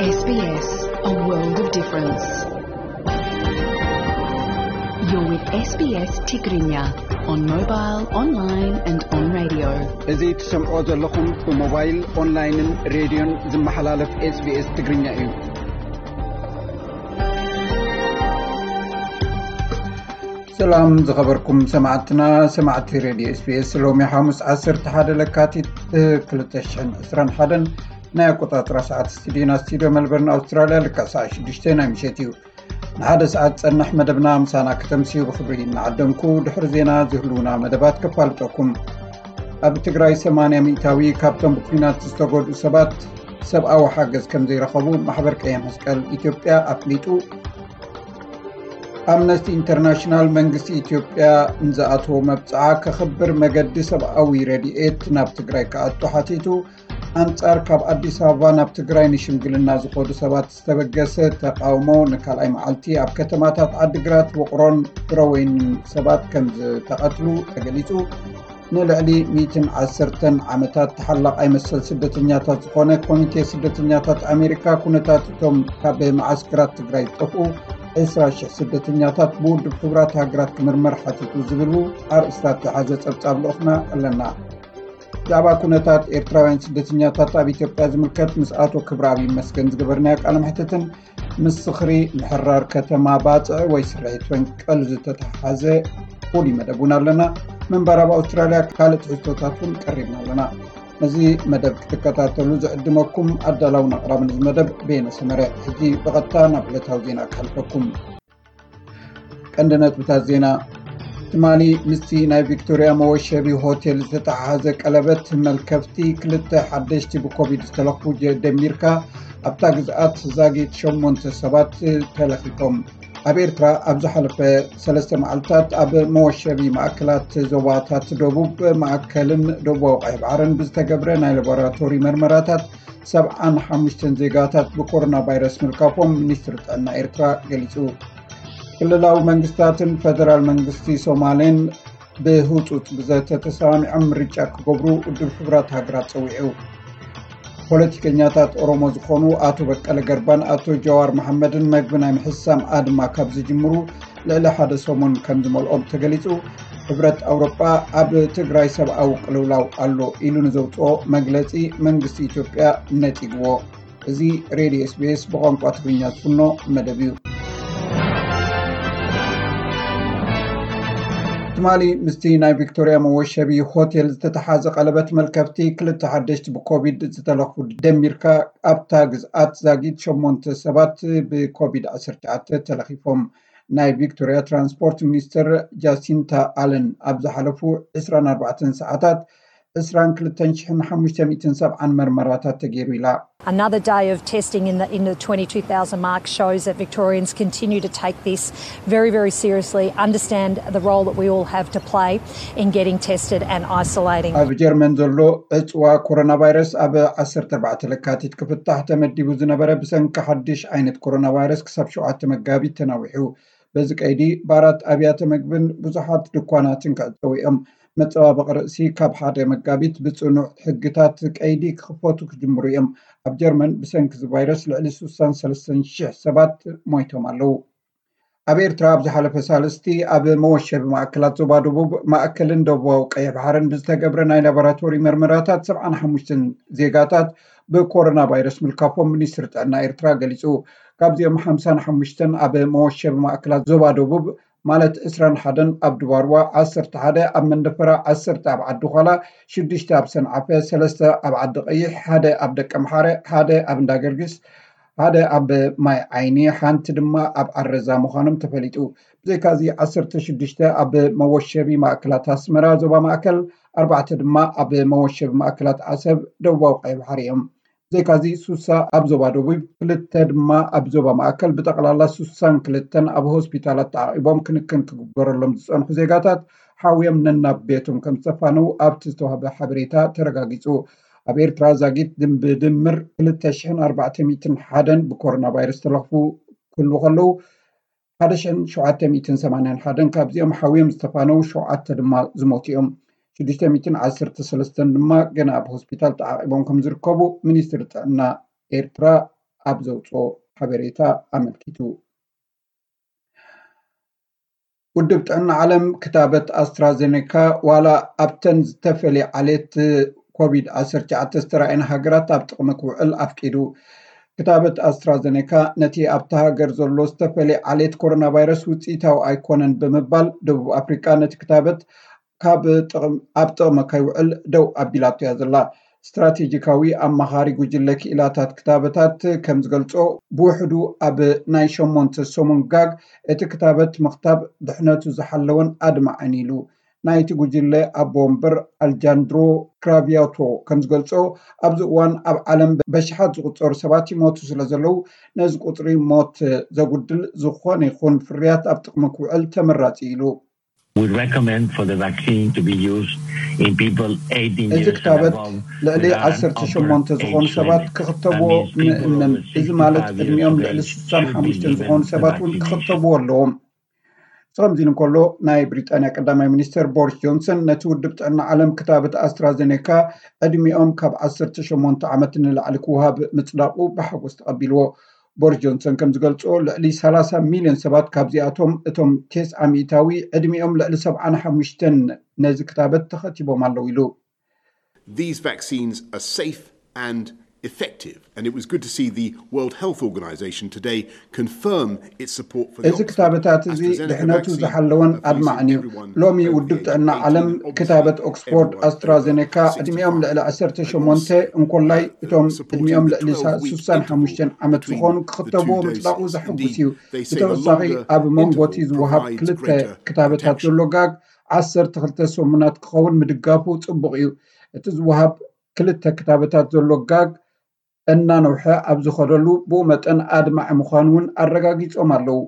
S B S, a world of difference. You're with S B S Tigrinya on mobile, online and on radio. እዚ ትሰምዖ ዘለኹም ብሞባይል፣ ኦንላይንን ሬድዮን ዝመሓላለፍ SBS ትግርኛ እዩ። ሰላም ዝኸበርኩም ሰማዕትና፣ ሰማዕቲ ሬድዮ SBS። ሎሚ ሓሙስ ዓሰርተ ሓደ ለካቲት ክልተ ሽሕን ዕስራን ሓደን ናይ ኣቆጻጽራ ሰዓት ስቱዲዮና፣ ስቱዲዮ መልበርን ኣውስትራልያ፣ ልክዕ ሰዓት ሽዱሽተ ናይ ምሸት እዩ። ንሓደ ሰዓት ጸንሕ መደብና ምሳና ከተምስዩ ብኽብሪ እናዓደምኩ፣ ድሕሪ ዜና ዝህልውና መደባት ከፋልጠኩም። ኣብ ትግራይ ሰማንያ ሚእታዊ ካብቶም ብኲናት ዝተጎድኡ ሰባት ሰብኣዊ ሓገዝ ከም ዘይረኸቡ ማሕበር ቀይሕ መስቀል ኢትዮጵያ ኣፍሊጡ። ኣምነስቲ ኢንተርናሽናል መንግስቲ ኢትዮጵያ ንዝኣተዎ መብጽዓ ከኽብር መገዲ ሰብኣዊ ረድኤት ናብ ትግራይ ክኣቱ ሓቲቱ። ኣንጻር ካብ ኣዲስ ኣበባ ናብ ትግራይ ንሽምግልና ዝኸዱ ሰባት ዝተበገሰ ተቃውሞ ንካልኣይ መዓልቲ ኣብ ከተማታት ዓዲግራት፣ ውቕሮን ፍረወይንን ሰባት ከም ዝተቐትሉ ተገሊጹ። ንልዕሊ ሚእትን ዓሰርተን ዓመታት ተሓላቓይ መሰል ስደተኛታት ዝኾነ ኮሚቴ ስደተኛታት ኣሜሪካ፣ ኩነታት እቶም ካብ መዓስከራት ትግራይ ዝጠፍኡ ዕስራ ሽሕ ስደተኛታት ብውድብ ሕቡራት ሃገራት ክምርመር ሓቲቱ ዝብሉ ኣርእስታት ዝሓዘ ጸብጻብ ልኡኽና ኣለና። ብዛዕባ ኩነታት ኤርትራውያን ስደተኛታት ኣብ ኢትዮጵያ ዝምልከት ምስ ኣቶ ክብረኣብ ይመስገን ዝገበርናዮ ቃለ መሕትትን ምስ ዝኽሪ ምሕራር ከተማ ባጽዕ ወይ ስርሒት ፈንቀል ዝተተሓሓዘ ፍሉይ መደብ እውን ኣለና። ምንባር ኣብ ኣውስትራልያ ካልእ ትሕዝቶታት እውን ቀሪብና ኣለና። ነዚ መደብ ክትከታተሉ ዝዕድመኩም ኣዳላውን ኣቕራብን እዚ መደብ በየነ ሰመረ። ሕጂ ብቐጥታ ናብ ዕለታዊ ዜና ክሓልፈኩም። ቀንዲ ነጥብታት ዜና። ትማሊ ምስቲ ናይ ቪክቶርያ መወሸቢ ሆቴል ዝተተሓሓዘ ቀለበት መልከፍቲ ክልተ ሓደሽቲ ብኮቪድ ዝተለኽፉ ጀ-፣ ደሚርካ ኣብታ ግዝኣት ዛጊት ሸሞንተ ሰባት ተለኺፎም። ኣብ ኤርትራ ኣብ ዝሓለፈ ሰለስተ መዓልታት ኣብ መወሸቢ ማእከላት ዞባታት ደቡብ ማእከልን ደቡባዊ ቀይሕ ባሕርን ብዝተገብረ ናይ ላቦራቶሪ መርመራታት ሰብዓን ሓሙሽተን ዜጋታት ብኮሮና ቫይረስ ምልካፎም ሚኒስትሪ ጥዕና ኤርትራ ገሊጹ። ክልላዊ መንግስታትን ፈደራል መንግስቲ ሶማሌን ብህጹጽ ብዘተ ተሰማሚዖም ምርጫ ክገብሩ ውድብ ሕቡራት ሃገራት ጸዊዑ። ፖለቲከኛታት ኦሮሞ ዝኾኑ ኣቶ በቀለ ገርባን ኣቶ ጀዋር መሓመድን መግቢ ናይ ምሕሳም ኣድማ ካብ ዝጅምሩ ልዕሊ ሓደ ሰሙን ከም ዝመልኦም ተገሊጹ። ሕብረት ኣውሮጳ ኣብ ትግራይ ሰብኣዊ ቅልውላው ኣሎ ኢሉ ንዘውፅኦ መግለፂ መንግስቲ ኢትዮጵያ ነፂግዎ። እዚ ሬድዮ SBS ብቋንቋ ትግርኛ ዝፍኖ መደብ እዩ። ትማሊ ምስቲ ናይ ቪክቶርያ መወሸቢ ሆቴል ዝተተሓዘ ቀለበት መልከፍቲ ክልተ ሓደሽቲ ብኮቪድ ዝተለኽፉ ደሚርካ ኣብታ ግዝኣት ዛጊት ሸሞንተ ሰባት ብኮቪድ ዓሰርተ ትሽዓተ ተለኺፎም። ናይ ቪክቶርያ ትራንስፖርት ሚኒስትር ጃሲንታ ኣለን ኣብ ዝሓለፉ ዕስራን ኣርባዕተን ሰዓታት ዕስራን ክልተን ሽሕን ሓሙሽተ ሚእትን ሰብዓን መርመራታት ተገይሩ ኢላ። Another day of testing in the, in the twenty-two thousand mark shows that Victorians continue to take this very, very seriously, understand the role that we all have to play in getting tested and isolating. ኣብ ጀርመን ዘሎ ዕፅዋ ኮሮና ቫይረስ ኣብ ዓሰርተ ኣርባዕተ ለካቲት ክፍታሕ ተመዲቡ ዝነበረ ብሰንኪ ሓድሽ ዓይነት ኮሮና ቫይረስ ክሳብ ሸውዓተ መጋቢት ተናዊሑ። በዚ ቀይዲ ባራት፣ ኣብያተ መግብን ብዙሓት ድኳናትን ክዕፀው እዮም። መፀባበቒ ርእሲ ካብ ሓደ መጋቢት ብፅኑዕ ሕግታት ቀይዲ ክኽፈቱ ክጅምሩ እዮም። ኣብ ጀርመን ብሰንኪ እዚ ቫይረስ ልዕሊ ስሳን ሰለስተን ሽሕ ሰባት ሞይቶም ኣለዉ። ኣብ ኤርትራ ኣብ ዝሓለፈ ሳልስቲ ኣብ መወሸቢ ማእከላት ዞባ ደቡብ፣ ማእከልን ደቡባዊ ቀይሕ ባሕርን ብዝተገብረ ናይ ላቦራቶሪ መርመራታት ሰብዓን ሓሙሽተን ዜጋታት ብኮሮና ቫይረስ ምልካፎም ሚኒስትሪ ጥዕና ኤርትራ ገሊጹ። ካብዚኦም ሓምሳን ሓሙሽተን ኣብ መወሸቢ ማእከላት ዞባ ደቡብ፣ ማለት ዕስራን ሓደን ኣብ ድባርዋ፣ ዓሰርተ ሓደ ኣብ መንደፈራ፣ ዓሰርተ ኣብ ዓዲ ዃላ፣ ሽዱሽተ ኣብ ሰንዓፈ፣ ሰለስተ ኣብ ዓዲ ቀይሕ፣ ሓደ ኣብ ደቀምሓረ፣ ሓደ ኣብ እንዳገርግስ፣ ሓደ ኣብ ማይ ዓይኒ፣ ሓንቲ ድማ ኣብ ዓረዛ ምዃኖም ተፈሊጡ። ብዘይካዚ ዓሰርተ ሽዱሽተ ኣብ መወሸቢ ማእከላት ኣስመራ ዞባ ማእከል፣ ኣርባዕተ ድማ ኣብ መወሸቢ ማእከላት ዓሰብ ደቡባዊ ቀይሕ ባሕሪ እዮም። ብዘይካዚ ሱሳ ኣብ ዞባ ደቡብ፣ ክልተ ድማ ኣብ ዞባ ማእከል፣ ብጠቕላላ ሱሳን ክልተን ኣብ ሆስፒታላት ተዓቒቦም ክንክን ክግበረሎም ዝጸንሑ ዜጋታት ሓውዮም ነናብ ቤቶም ከም ዝተፋነው ኣብቲ ዝተዋህበ ሓበሬታ ተረጋጊጹ። ኣብ ኤርትራ ዛጊት ድም-፣ ብድምር ክልተ ሽሕን ኣርባዕተ ሚእትን ሓደን ብኮሮና ቫይረስ ተለኽፉ ክህልዉ ከለዉ፣ ሓደ ሽሕን ሸውዓተ ሚእትን ሰማንያን ሓደን ካብዚኦም ሓውዮም ዝተፋነው፣ ሸውዓተ ድማ ዝሞቱ እዮም። ሽዱሽተ ሚእትን ዓሰርተ ሰለስተን ድማ ገና ኣብ ሆስፒታል ተዓቒቦም ከም ዝርከቡ ሚኒስትሪ ጥዕና ኤርትራ ኣብ ዘውፅኦ ሓበሬታ ኣመልኪቱ። ውድብ ጥዕና ዓለም ክታበት ኣስትራዜኔካ ዋላ ኣብተን ዝተፈለየ ዓሌት ኮቪድ ዓሰርተ ትሽዓተ ዝተራእየን ሃገራት ኣብ ጥቕሚ ክውዕል ኣፍቂዱ። ክታበት ኣስትራዜኔካ ነቲ ኣብታ ሃገር ዘሎ ዝተፈለየ ዓሌት ኮሮና ቫይረስ ውፅኢታዊ ኣይኮነን ብምባል፣ ደቡብ ኣፍሪቃ ነቲ ክታበት ካብ ጥቕም ኣብ ጥቕሚ ከይውዕል ደው ኣቢላቶ እያ ዘላ። ስትራቴጂካዊ ኣማኻሪ ጉጅለ ክኢላታት ክታበታት ከም ዝገልጾ፣ ብውሕዱ ኣብ ናይ ሸሞንተ ሰሙን ጋግ እቲ ክታበት ምኽታብ ድሕነቱ ዝሓለወን ኣድማዕን ኢሉ። ናይቲ ጉጅለ ኣቦ ወንበር ኣልጃንድሮ ክራቪያቶ ከም ዝገልጾ፣ ኣብዚ እዋን ኣብ ዓለም በሽሓት ዝቑጸሩ ሰባት ይሞቱ ስለ ዘለዉ፣ ነዚ ቁጽሪ ሞት ዘጉድል ዝኾነ ይኹን ፍርያት ኣብ ጥቕሚ ክውዕል ተመራጺ ኢሉ። We recommend for the vaccine to be used in people eighteen እዚ years and ክታበት above ልዕሊ with an ዓሰርተ ሸሞንተ upper ዝኾኑ age ሰባት limit. ክኽተብዎ That means people ንእምን። over እዚ ማለት sixty-five years ዕድሚኦም of ልዕሊ age ስሳን should be ሓሙሽተን given ዝኾኑ the ሰባት እውን vaccination. ክኽተብዎ ኣለዎም። እዚ ከምዚ ኢሉ እንከሎ፣ ናይ ብሪጣንያ ቀዳማይ ሚኒስተር ቦሪስ ጆንሰን ነቲ ውድብ ጥዕና ዓለም ክታበት ኣስትራዜኔካ ዕድሚኦም ካብ ዓሰርተ ሸሞንተ ዓመት ንላዕሊ ክወሃብ ምጽዳቑ ብሓጎስ ተቐቢልዎ። ቦሪስ ጆንሰን ከም ዝገልጾ፣ ልዕሊ ሰላሳ ሚልዮን ሰባት፣ ካብዚኣቶም እቶም ቴስዓ ሚእታዊ ዕድሚኦም ልዕሊ ሰብዓን ሓሙሽተን ነዚ ክታበት ተኸቲቦም ኣለዉ ኢሉ። These vaccines are safe and effective, and it was good to see the World Health Organization today confirm its support for the እዚ ክታበታት እዚ ድሕነቱ ዝሓለወን ኣድማዕን እዩ። ሎሚ ውድብ ጥዕና ዓለም ክታበት ኦክስፎርድ ኣስትራዜኔካ ዕድሚኦም ልዕሊ ዓሰርተ ሸሞንተ እንኮላይ እቶም ዕድሚኦም ልዕሊ ስሳን ሓሙሽተን ዓመት ዝኾኑ ክኽተብዎ ምጽዳቑ ዘሐጉስ እዩ። ብተወሳኺ ኣብ መንጎ እቲ ዝወሃብ ክልተ ክታበታት ዘሎ ጋግ ዓሰርተ ክልተ ሰሙናት ክኸውን ምድጋፉ ጽቡቕ እዩ። እቲ ዝወሃብ ክልተ ክታበታት ዘሎ ጋግ እናነውሐ ኣብ ዝኸደሉ፣ ብኡ መጠን ኣድማዒ ምዃኑ እውን ኣረጋጊጾም ኣለዉ።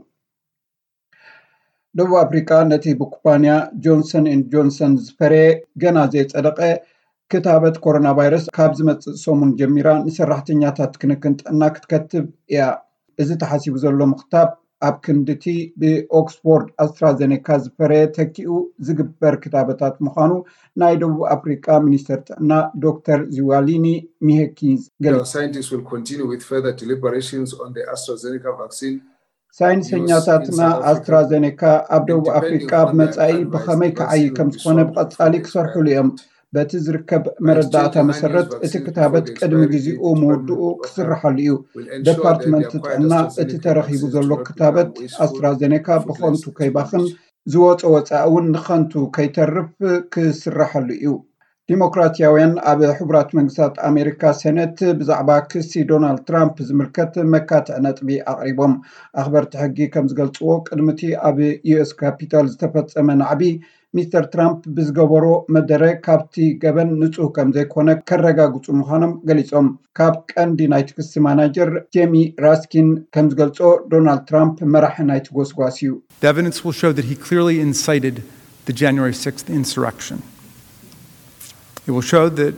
ደቡብ ኣፍሪቃ ነቲ ብኩባንያ ጆንሰን ኤንድ ጆንሰን ዝፈረየ ገና ዘይጸደቐ ክታበት ኮሮና ቫይረስ ካብ ዝመጽእ ሰሙን ጀሚራ ንሰራሕተኛታት ክንክን ጥዕና ክትከትብ እያ። እዚ ተሓሲቡ ዘሎ ምኽታብ ኣብ ክንድቲ ብኦክስፎርድ ኣስትራዘኔካ ዝፈረየ ተኪኡ ዝግበር ክታበታት ምዃኑ ናይ ደቡብ ኣፍሪቃ ሚኒስተር ጥዕና ዶክተር ዚዋሊኒ ሚሄኪዝ ገሊጹ። Scientists will continue with further deliberations on the AstraZeneca vaccine. ሳይንሰኛታትና ኣስትራዘኔካ ኣብ ደቡብ ኣፍሪቃ ኣብ መጻኢ ብኸመይ ክዓይ ከም ዝኾነ ብቐጻሊ ክሰርሕሉ እዮም። በቲ ዝርከብ መረዳእታ መሰረት እቲ ክታበት ቅድሚ ግዜኡ ምውድኡ ክስርሓሉ እዩ። ደፓርትመንት ጥዕና እቲ ተረኺቡ ዘሎ ክታበት ኣስትራዘኔካ ብኸንቱ ከይባኽን ዝወፀ ወፃኢ እውን ንኸንቱ ከይተርፍ ክስርሓሉ እዩ። ዲሞክራሲያውያን ኣብ ሕቡራት መንግስታት ኣሜሪካ ሴኔት ብዛዕባ ክሲ ዶናልድ ትራምፕ ዝምልከት መካትዒ ነጥቢ ኣቕሪቦም። ኣኽበርቲ ሕጊ ከም ዝገልፅዎ ቅድሚ እቲ ኣብ ዩኤስ ካፒታል ዝተፈፀመ ናዕቢ ሚስተር ትራምፕ ብዝገበሮ መደረ ካብቲ ገበን ንፁህ ከም ዘይኮነ ከረጋግፁ ምዃኖም ገሊፆም። ካብ ቀንዲ ናይቲ ክሲ ማናጀር ጄሚ ራስኪን ከም ዝገልፆ ዶናልድ ትራምፕ መራሒ ናይቲ ጎስጓስ እዩ። The evidence will show that he clearly incited the January sixth insurrection. It will show that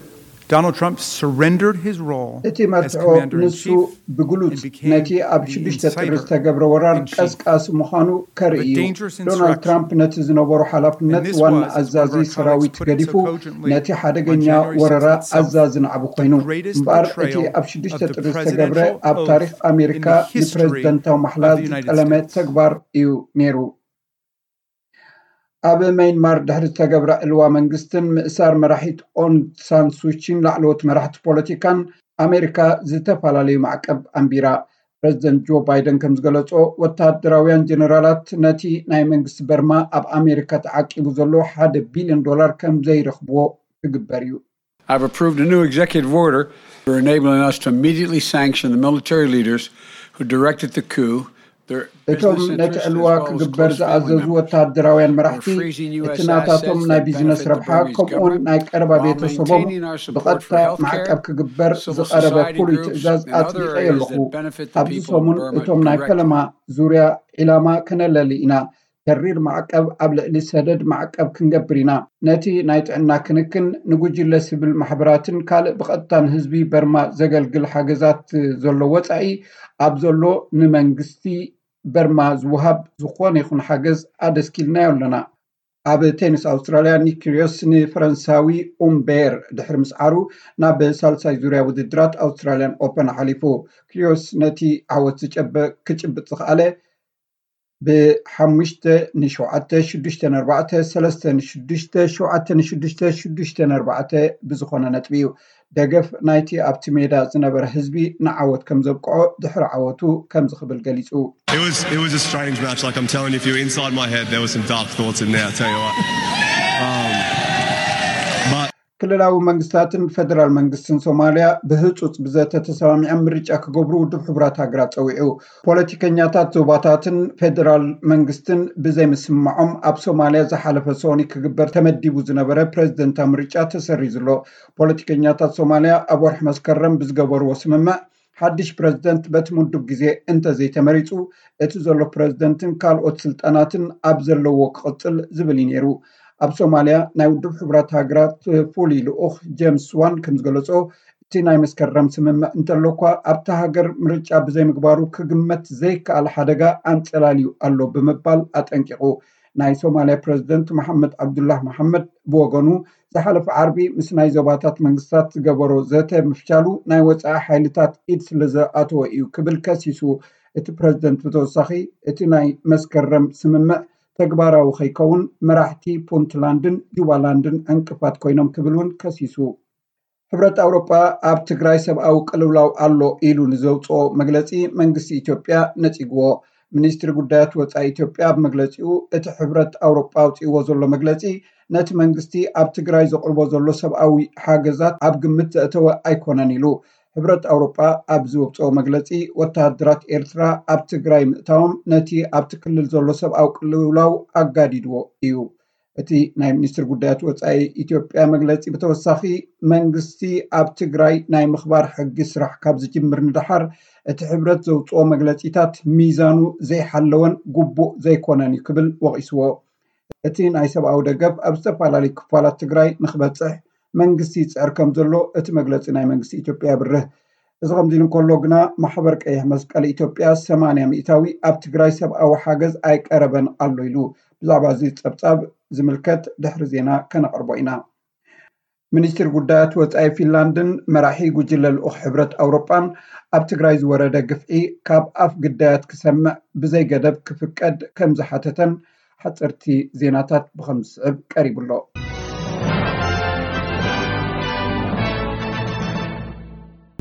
Donald Trump surrendered his role እቲ መርትዖ ንሱ ብግሉጽ ነቲ ኣብ ሽዱሽተ ጥሪ ዝተገብረ ወራር ቀስቃሲ ምዃኑ ከርኢ እዩ። ዶናልድ ትራምፕ ነቲ ዝነበሮ ሓላፍነት ዋና ኣዛዚ ሰራዊት ገዲፉ ነቲ ሓደገኛ ወረራ ኣዛዚ ናዕቢ ኮይኑ። እምበኣር እቲ ኣብ ሽዱሽተ ጥሪ ዝተገብረ ኣብ ታሪኽ ኣሜሪካ ንፕረዚደንታዊ ማሕላ ዝጠለመ ተግባር እዩ ነይሩ። ኣብ መይንማር ድሕሪ ዝተገብረ ዕልዋ መንግስትን ምእሳር መራሒት ኦንግ ሳን ሱቺን ላዕለዎት መራሕቲ ፖለቲካን ኣሜሪካ ዝተፈላለዩ ማዕቀብ ኣንቢራ። ፕረዚደንት ጆ ባይደን ከም ዝገለጾ፣ ወታደራውያን ጀነራላት ነቲ ናይ መንግስቲ በርማ ኣብ ኣሜሪካ ተዓቂቡ ዘሎ ሓደ ቢልዮን ዶላር ከም ዘይረኽብዎ ክግበር እዩ። I've approved a new executive order for enabling us to immediately sanction the military leaders who directed the coup. እቶም ነቲ ዕልዋ ክግበር ዝኣዘዙ ወታደራውያን መራሕቲ፣ እቲ ናታቶም ናይ ቢዝነስ ረብሓ ከምኡውን ናይ ቀረባ ቤተሰቦም ብቐጥታ ማዕቀብ ክግበር ዝቐረበ ፍሉይ ትእዛዝ ኣጽዲቐ ኣለኹ። ኣብዚ ሰሙን እቶም ናይ ፈለማ ዙርያ ዒላማ ክነለሊ ኢና። ተሪር ማዕቀብ ኣብ ልዕሊ ሰደድ ማዕቀብ ክንገብር ኢና። ነቲ ናይ ጥዕና ክንክን፣ ንጉጅለ ስቪል ማሕበራትን ካልእ ብቐጥታ ንህዝቢ በርማ ዘገልግል ሓገዛት ዘሎ ወጻኢ ኣብ ዘሎ ንመንግስቲ በርማ ዝወሃብ ዝኾነ ይኹን ሓገዝ ኣደስኪልናዮ ኣለና። ኣብ ቴኒስ ኣውስትራልያ ኒክ ኪርዮስ ንፈረንሳዊ ኡምቤር ድሕሪ ምስዓሩ ናብ ሳልሳይ ዙርያ ውድድራት ኣውስትራልያን ኦፐን ሓሊፉ። ኪርዮስ ነቲ ዓወት ዝጨበ ክጭብጥ ዝኸኣለ ብሓሙሽተ ንሸውዓተ ሽዱሽተ ነርባዕተ ሰለስተ ንሽዱሽተ ሸውዓተ ንሽዱሽተ ሽዱሽተ ነርባዕተ ብዝኾነ ነጥቢ እዩ። ደገፍ ናይቲ ኣብቲ ሜዳ ዝነበረ ህዝቢ ንዓወት ከም ዘብቅዖ ድሕሪ ዓወቱ ከምዚ ክብል ገሊጹ። It was it was a strange match. Like I'm telling you, if you were inside my head, there were some dark thoughts in there. I tell you what. Um, but ክልላዊ መንግስታትን ፈደራል መንግስትን ሶማልያ ብህጹጽ ብዘተ ተሰማሚዖም ምርጫ ክገብሩ ውድብ ሕቡራት ሃገራት ጸዊዑ። ፖለቲከኛታት ዞባታትን ፈደራል መንግስትን ብዘይምስምማዖም ኣብ ሶማልያ ዝሓለፈ ሰኒ ክግበር ተመዲቡ ዝነበረ ፕረዚደንታዊ ምርጫ ተሰሪዙ ኣሎ። ፖለቲከኛታት ሶማልያ ኣብ ወርሒ መስከረም ብዝገበርዎ ስምምዕ ሓድሽ ፕረዚደንት በቲ ምዱብ ግዜ እንተዘይተመሪጹ እቲ ዘሎ ፕረዚደንትን ካልኦት ስልጣናትን ኣብ ዘለዎ ክቕጽል ዝብል እዩ ነይሩ። ኣብ ሶማልያ ናይ ውድብ ሕቡራት ሃገራት ፍሉይ ልኡኽ ጀምስ ስዋን ከም ዝገለጾ እቲ ናይ መስከረም ስምምዕ እንተሎ እኳ ኣብታ ሃገር ምርጫ ብዘይምግባሩ ክግመት ዘይከኣል ሓደጋ ኣንጸላልዩ ኣሎ ብምባል ኣጠንቂቑ። ናይ ሶማልያ ፕረዚደንት መሓመድ ዓብዱላህ መሓመድ ብወገኑ ዝሓለፈ ዓርቢ ምስ ናይ ዞባታት መንግስታት ዝገበሮ ዘተ ምፍሻሉ ናይ ወፃኢ ሓይልታት ኢድ ስለዝኣተወ እዩ ክብል ከሲሱ። እቲ ፕረዚደንት ብተወሳኺ እቲ ናይ መስከረም ስምምዕ ተግባራዊ ከይከውን መራሕቲ ፑንትላንድን ጁባላንድን ዕንቅፋት ኮይኖም ክብል እውን ከሲሱ። ሕብረት ኣውሮጳ ኣብ ትግራይ ሰብኣዊ ቅልውላው ኣሎ ኢሉ ንዘውፅኦ መግለፂ መንግስቲ ኢትዮጵያ ነፂግዎ። ሚኒስትሪ ጉዳያት ወፃኢ ኢትዮጵያ ኣብ መግለፂኡ እቲ ሕብረት ኣውሮጳ ኣውፅእዎ ዘሎ መግለፂ ነቲ መንግስቲ ኣብ ትግራይ ዘቕርቦ ዘሎ ሰብኣዊ ሓገዛት ኣብ ግምት ዘእተወ ኣይኮነን ኢሉ። ሕብረት ኣውሮጳ ኣብ ዝወፅኦ መግለፂ ወተሃደራት ኤርትራ ኣብ ትግራይ ምእታዎም ነቲ ኣብቲ ክልል ዘሎ ሰብኣዊ ቅልውላው ኣጋዲድዎ እዩ። እቲ ናይ ሚኒስትር ጉዳያት ወፃኢ ኢትዮጵያ መግለፂ ብተወሳኺ መንግስቲ ኣብ ትግራይ ናይ ምኽባር ሕጊ ስራሕ ካብ ዝጅምር ንደሓር እቲ ሕብረት ዘውፅኦ መግለፂታት ሚዛኑ ዘይሓለወን ግቡእ ዘይኮነን እዩ ክብል ወቒስዎ። እቲ ናይ ሰብኣዊ ደገፍ ኣብ ዝተፈላለዩ ክፋላት ትግራይ ንክበፅሕ መንግስቲ ይፅዕር ከም ዘሎ እቲ መግለፂ ናይ መንግስቲ ኢትዮጵያ የብርህ። እዚ ከምዚ ኢሉ እንከሎ ግና ማሕበር ቀይሕ መስቀል ኢትዮጵያ ሰማንያ ሚእታዊ ኣብ ትግራይ ሰብኣዊ ሓገዝ ኣይቀረበን ኣሎ ኢሉ። ብዛዕባ እዚ ፀብፃብ ዝምልከት ድሕሪ ዜና ከነቕርቦ ኢና። ሚኒስትር ጉዳያት ወፃኢ ፊንላንድን መራሒ ጉጅለ ልኡኽ ሕብረት ኣውሮጳን ኣብ ትግራይ ዝወረደ ግፍዒ ካብ ኣፍ ግዳያት ክሰምዕ ብዘይገደብ ክፍቀድ ከም ዝሓተተን ሓፀርቲ ዜናታት ብኸም ዝስዕብ ቀሪቡ ኣሎ።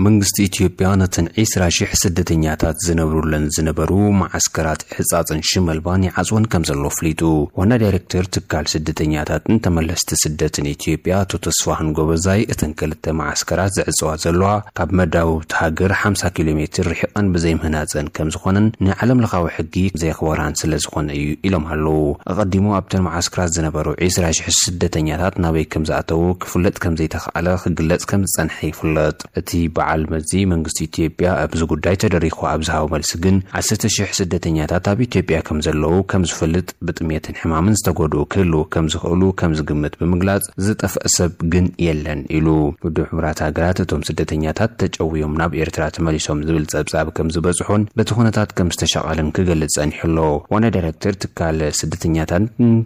መንግስቲ ኢትዮጵያ ነተን ዒስራ ሽሕ ስደተኛታት ዝነብሩለን ዝነበሩ መዓስከራት ሕጻጽን ሽመልባን ይዓጽወን ከም ዘሎ ኣፍሊጡ። ዋና ዳይሬክተር ትካል ስደተኛታትን ተመለስቲ ስደትን ኢትዮጵያ ኣቶ ተስፋሁን ጎበዛይ፣ እተን ክልተ መዓስከራት ዘዕጽዋ ዘለዋ ካብ መዳውብቲ ሃገር ሓምሳ ኪሎ ሜትር ርሒቐን ብዘይምህናጸን ከም ዝኾነን ንዓለም ለኻዊ ሕጊ ዘየኽበራን ስለ ዝኾነ እዩ ኢሎም ኣለዉ። ኣቐዲሙ ኣብተን መዓስከራት ዝነበሩ ዒስራ ሽሕ ስደተኛታት ናበይ ከም ዝኣተዉ ክፍለጥ ከም ዘይተኻእለ ክግለጽ ከም ዝጸንሐ ይፍለጥ። እቲ በዓል መዚ መንግስቲ ኢትዮጵያ ኣብዚ ጉዳይ ተደሪኹ ኣብ ዝሃቦ መልሲ ግን፣ ዓሰርተ ሽሕ ስደተኛታት ኣብ ኢትዮጵያ ከም ዘለዉ ከም ዝፈልጥ፣ ብጥሜትን ሕማምን ዝተጎድኡ ክህልዉ ከም ዝኽእሉ ከም ዝግምት ብምግላጽ፣ ዝጠፍአ ሰብ ግን የለን ኢሉ። ውድብ ሕቡራት ሃገራት እቶም ስደተኛታት ተጨውዮም ናብ ኤርትራ ተመሊሶም ዝብል ጸብጻብ ከም ዝበጽሖን በቲ ኩነታት ከም ዝተሻቐለን ክገልጽ ጸኒሑ ኣሎ። ዋና ዳይሬክተር ትካል ስደተኛታትን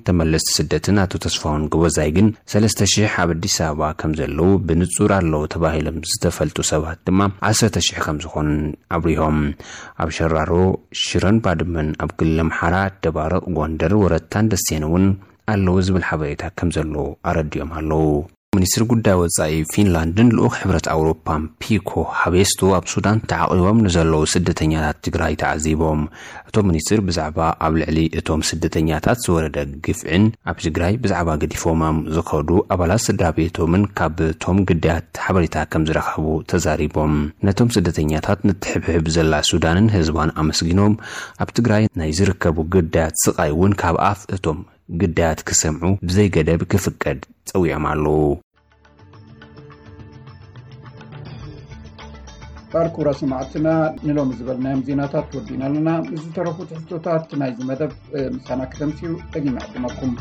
ተመለስቲ ስደትን ኣቶ ተስፋሁን ጎበዛይ ግን፣ ሰለስተ ሽሕ ኣብ ኣዲስ ኣበባ ከም ዘለዉ ብንጹር ኣለዉ ተባሂሎም ዝተፈልጡ ሰባት ድማ ዓሰርተ ሽሕ ከም ዝኾኑን ኣብሪሆም። ኣብ ሸራሮ፣ ሽረን ባድመን፣ ኣብ ክልል ኣምሓራ፣ ደባርቕ፣ ጎንደር፣ ወረታን ደሴን እውን ኣለዉ ዝብል ሓበሬታ ከም ዘሎ ኣረዲኦም ኣለዉ። ሚኒስትሪ ጉዳይ ወጻኢ ፊንላንድን ልኡኽ ሕብረት ኣውሮፓን ፒኮ ሃቤስቶ ኣብ ሱዳን ተዓቒቦም ንዘለዉ ስደተኛታት ትግራይ ተዓዚቦም። እቶም ሚኒስትር ብዛዕባ ኣብ ልዕሊ እቶም ስደተኛታት ዝወረደ ግፍዕን ኣብ ትግራይ ብዛዕባ ገዲፎሞም ዝኸዱ ኣባላት ስድራ ቤቶምን ካብ እቶም ግዳያት ሓበሬታ ከም ዝረኸቡ ተዛሪቦም። ነቶም ስደተኛታት ንትሕብሕብ ዘላ ሱዳንን ህዝባን ኣመስጊኖም፣ ኣብ ትግራይ ናይ ዝርከቡ ግዳያት ስቓይ እውን ካብ ኣፍ እቶም ግዳያት ክሰምዑ ብዘይገደብ ክፍቀድ ጸዊዖም ኣለዉ። ባር ክቡራት ሰማዕትና፣ ንሎሚ ዝበልናዮም ዜናታት ወዲና ኣለና። ምስ ዝተረፉ ትሕዝቶታት ናይዚ መደብ፣ እ፣ ምሳና ክተምስዩ ደጊመ ዕድመኩም።